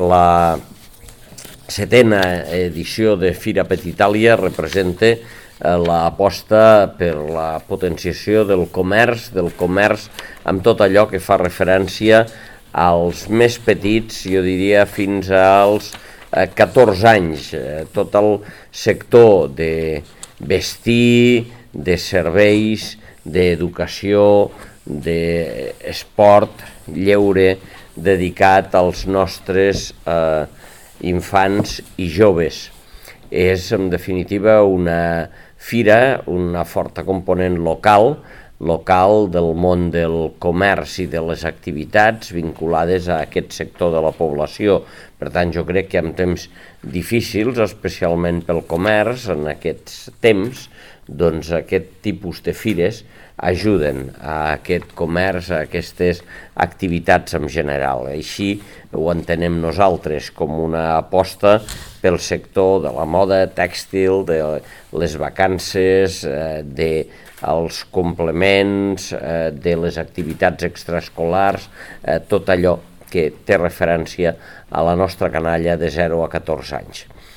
La setena edició de Fira Petitàlia representa l'aposta per la potenciació del comerç amb tot allò que fa referència als més petits, jo diria fins als 14 anys, tot el sector de vestir, de serveis, d'educació, d'esport, lleure, dedicat als nostres infants i joves. És, en definitiva, una fira, una forta component local del món del comerç i de les activitats vinculades a aquest sector de la població. Per tant, jo crec que en temps difícils, especialment pel comerç, en aquests temps, doncs aquest tipus de fires ajuden a aquest comerç, a aquestes activitats en general. Així ho entenem nosaltres com una aposta pel sector de la moda tèxtil, de les vacances, dels complements, de les activitats extraescolars, tot allò que té referència a la nostra canalla de 0 a 14 anys.